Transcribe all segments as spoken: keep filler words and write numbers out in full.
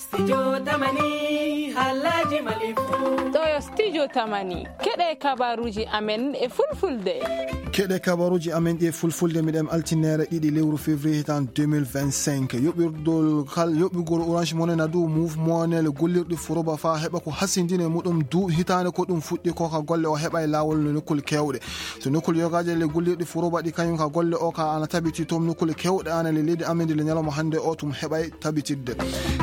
Studio Tamani, halaji Mali fu. Ɗo yo Studio Tamani. Keɗe kabaruji amen e fulfulde. Keɗe kabaruji amen ɗi e fulfulde, miɗen altinere ɗiɗi lewru février hitan deux mille vingt-cinq. Yoɓirɗol kal-, yoɓigol Orange Money na du Move Money le gollirɗi Furoba fa heɓa ko hasindine muɗum du hitande ko ɗum fuɗɗi ko ka golle o heɓa e lawol no nokkul kewɗe. So nokkul yogaje le gollirɗi Furoba ɗi kañum ka golle o ka ana tabiti toon nokkul kewɗe ana le leydi amen ndi le ñalawma hande o tum heɓay tabitidde.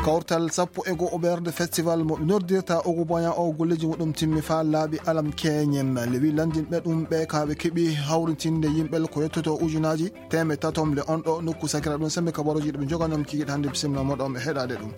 Kawtal sappo e go'o ɓerde festival mo noddirta Ogu Boyan o golleji muɗum timmi fa laaɓi alam keñen. Le wi landinɓe ɗum ɓe ka ɓe keɓi hawritinde yimɓe ko yettoto ujunaji teemeɗɗe tatom le on ɗo nokku sakira ɗum sembe kabaruji ɗum joganom kikiɗe hande bisimilla moɗo on ɓe heɗade ɗum.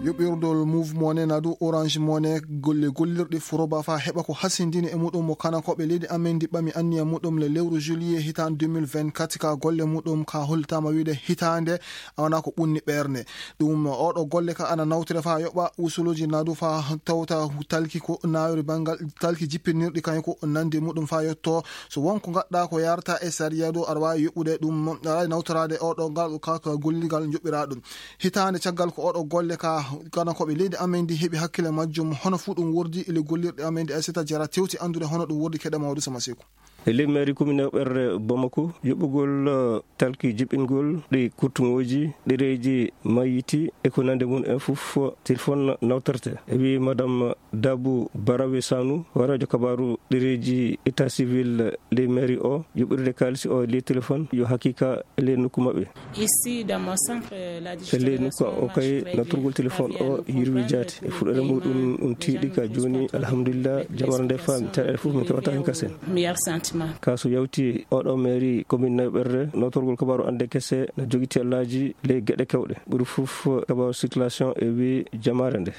Yoɓirɗol Move Money na du Orange Money golle gollirɗi Furoba fa heɓa ko hasindini e muɗum mo kana ko ɓe leydi amen ndi ɓami anniya muɗum le lewru juillet hitan deux mille vingt-quatre ka golle muɗum ka holtama wiide hitande a wona ko ɓunni ɓernde. Ɗum oɗo golle ka ana nawtire fa yoɓa usuluji nadu fa tawta talki ko nawri bangal talki jippinirɗi kañum ko nandi muɗum fa yetto. So wonko gaɗɗa ko yarta e sariya dow aɗa wawi yoɓude ɗum, aɗa wawi nawtorade oɗo ngal ka, ka golligal joɓɓira ɗum. Hitande caggal ko oɗo golle ka kana koɓe leydi amen ndi heɓi hakkille majjum, hono fu ɗum wordi le gollirɗe amen ndi Aissata Diarra tewti andude hono ɗum wordi keɗe mawdu sama seku. E ley mairie commune ɓerre Bamako, yoɓugol, eh, talki jiɓɓingol ɗi kurtuŋooji, ɗereeji mayiti e ko nande mum en fof, téléphone nawtorte. E wi Madame Dabou Barawe Sanu, hooreejo kabaaru ɗereeji état civil ley mairie o, yoɓirde kaalisi o ley téléphone, yo haqiqa e ley nokku maɓɓe. Ici, dans mon centre, la E ley nokku o kay, nattorgol téléphone o yirwi jaati. E fuɗɗoore muɗum, ɗum tiiɗi ka jooni, alhamdulillah, jamara nde faami. Caɗeele fof min keɓata hen kasen. Meilleur sentiment. Ka so yawti oɗo mairie commune Nayo Ɓerre, nawtorgol kabaaru ande kese na jogi tellaaji ley geɗe kewɗe. Ɓuri fof kabaaru circulation e wi jamare nde.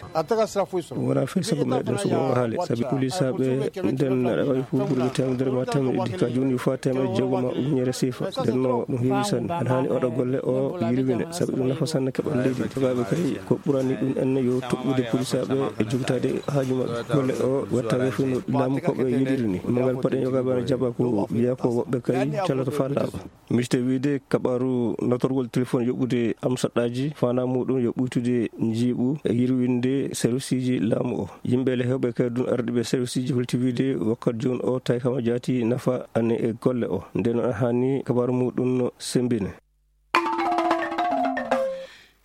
Wona fay sago meɗen so wongo haale, sabi polisaaɓe nden aɗa wawi fof ɓurɓe teemedere ma teemedde ɗiɗi. Ka jooni yo faa teemedde jeegom ma ujunere siifa. Nden no ɗum heewi sanne. Ana haani oɗo golle o yirwine, sabi ɗum nafa sanne keɓal leydi. Togaaɓe kay ko ɓurani ɗum en yo toɓɓude polisaaɓe e jogitaade haaju maɓɓe. Golle o watta ɓe fof no laamu koɓe yiɗiri ni. Mangal paɗen yogaaɓe ana jaɓa ko wiya ko woɓɓe kay caloto faa laaɓa. Miijte wiide kabaaru natorgol téléphone yoɓude am saɗɗaaji, faandaa muɗum yo ɓuytude njiiɓu e yirwinde serviceji laamu o. Yimɓe le hewɓe kay ɗum ardiiɓe serviceji holti wiide wakkati jooni o tawi kama jaati nafa ane e golle o. Nden noon haani kabaaru muɗum no semmbine.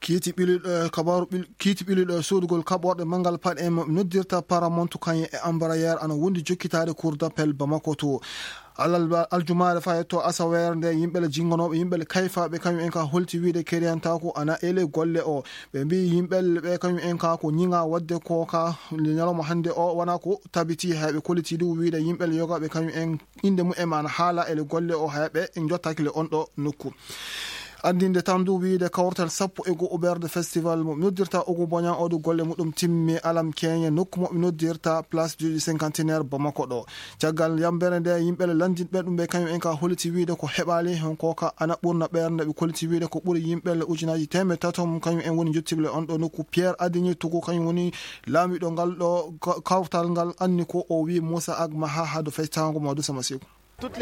Kiiti ɓiliɗo e kabaaru ɓil-, kiiti ɓiliɗo e soodugol kaɓorɗe manngal paɗe en mo noddirta Paramount kañum e Embraer ana wondi jokkitaade Cour d'appel Bamako to. Alal-, aljumaare fayi to asaweere nde, yimɓe le jinnganooɓe, yimɓe le kayfaaɓe, kañum en ka holti wiide keriyantaaku ana ele golle o. Ɓe mbiyi yimɓe le ɓe kañum en ka ko ñiŋa waɗde ko ka ñalawma hannde o wona ko tabiti. Hay ɓe kolliti du wiide yimɓe le yogaaɓe kañum en innde mumen ana haala ele golle o hay ɓe jottaki le on ɗo nokku. Anndinde tan du wiide kawtal sappo e go'o ɓerde festival mo noddirta Ogu Boña o du golle muɗum timmi alam keñe nokku mo ɓe noddirta Place du Cinquantenaire Bamako ɗo. Caggal yambere nde, yimɓe le lanndinɓe ɗum ɓe kañum en ka holliti wiide ko heɓaali heen ko ka ana ɓurna ɓernde, ɓe kolliti wiide ko ɓuri yimɓe le ujunaji teemeɗɗe tato mum kañum en woni jottiɓe le on ɗo nokku. Pierre Adigné Togo kañum woni laamiɗo ngal ɗo ka-, kawtal ngal anni ko o wi Moussa Agmaha hado feccango Mamadou Samasiku.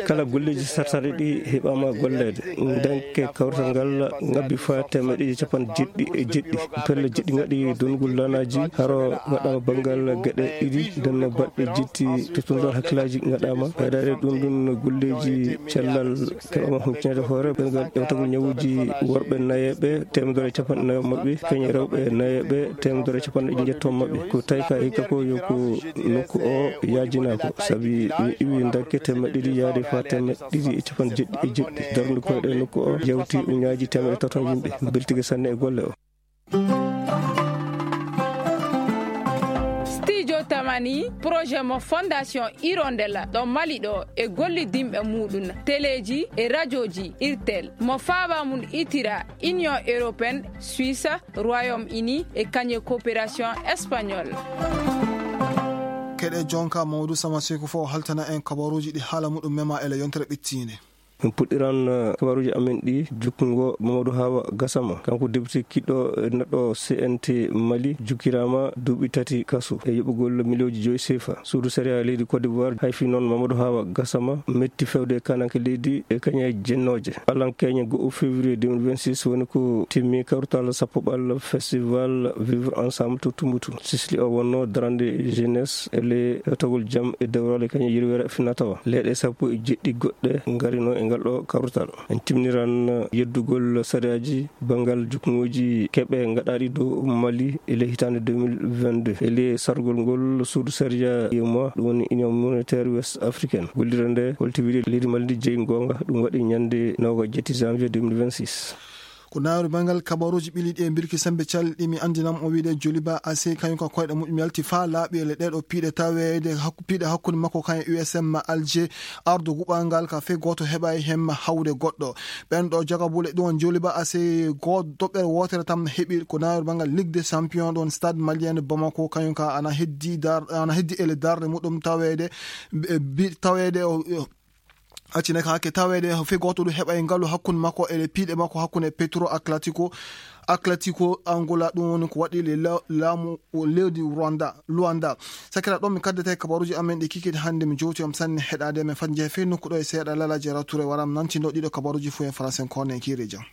Kala golleeji sartare ɗi heɓaama golleede. Ndanke kawtal ngal ngabbi faa teemeɗɗe ɗiɗi e capanɗe jeɗɗi e jeɗɗi. Pelle jeɗɗi ngaɗi donnugol lanaaji, haro ngaɗaama banngal geɗe ɗiɗi, nden no baɗɗe jetti to tundor hakkillaaji ngaɗaama. Ɓeydaade ɗum ɗum no golleeji cellal keɓaama humpitineede hoore, ɓerngal ƴewtagol ñawuuji worɓe nayeeɓe, teemedere e capanɗe nayo maɓɓe, keñe rewɓe nayeeɓe, teemedere e capanɗe njetto maɓɓe. Ko tawi ka hikka ko yo ko nokku o yaajinaa ko, sabi mi iwi ndakke teemeɗɗe ɗiɗi yaade faa teemeɗɗe ɗiɗi e capanɗe jeɗɗi e jeɗɗi. Darnde koyɗe nokku o yawti uñaaji teemeɗɗe tato yimɓe. Beltige sanne e golle o. Studio Tamani, projet mo Fondation Hirondelle ɗo Mali ɗo e gollidinɓe muɗum, teleeji e rajooji Irtel, mo faaba mum itira Union Européenne, Suisse, Royaume-Uni e kañe coopération espagnole. Keɗe jonka Mamadou Samasiku fof haltana en kabaruuji ɗi haala muɗum mema ele yontere ɓittiinde. En puɗɗiran, eh, kabaruuji amen ɗi jukkungo Mamadou Hawa Gassama. Kanko député kiɗɗo, eh, neɗɗo C N T Mali, jukkiraama duuɓi tati kaso e yoɓugol miliyooji joyi sefa. Suudu sariya leydi Côte d'Ivoire hayfi noon Mamadou Hawa Gassama metti fewde e kananke leydi e kañe jennooje. Alan keñe go'o février deux mille vingt-six woni ko timmi kawtal sappo ɓal festival Vivre Ensemble to Tumbutu. Sisli o wonno darande jeunesse e le togol jam e dewral e kañe yirwere finatawa. Leeɗe sappo e jeɗɗi goɗɗe ngarino e ngal ɗo kawtal. En timniran yeddugol sariyaaji banngal jukkuŋooji keɓe ngaɗaaɗi dow Mali e ley hitaande deux mille vingt-deux. E ley sargol ngol, suudu sariya yema, ɗum woni Union Monétaire Ouest Africaine, gollirde nde holti wiide leydi Mali ndi jeyi goonga. Ɗum waɗi ñande noga jetti janvier deux mille vingt-six. Ko nawri banngal kabaruuji ɓiliɗi e mbirki sembe calɗi mi anndinan on wiide Joliba A C kañum ka koyɗe muɗum yalti faa laaɓi e le ɗeɗo piiɗe taweede hakku-, piiɗe hakkunde makko kan e U S M Alger. Ardo guɓal ngal ka fey gooto heɓaay heen hawde goɗɗo. Ɓen ɗo jagabule ɗum on Joliba A C go-, doɓɓere wootere tan heɓi ko nawri banngal Ligue des Champions ɗon Stade Malien de Bamako, kañum ka ana heddi dar-, ana heddi ele darde muɗum taweede, e bi-, taweede o, o, accine ka hakke taweede fey gooto ɗum heɓaay ngalu hakkunde makko ele piiɗe makko hakkunde Petro Atletico, Atletico Angola, ɗum woni ko waɗi le la-, laamu o leydi Rwanda, Luanda. Sakira ɗon mi kaddete kabaruuji amen ɗi kikiiɗe hannde, mi jowti on sanne heɗaade men fat njehe fey nokku ɗo e seeɗa Lala Jara Touré waram nantindo ɗiɗo kabaruuji fof e français kono en kiire jam.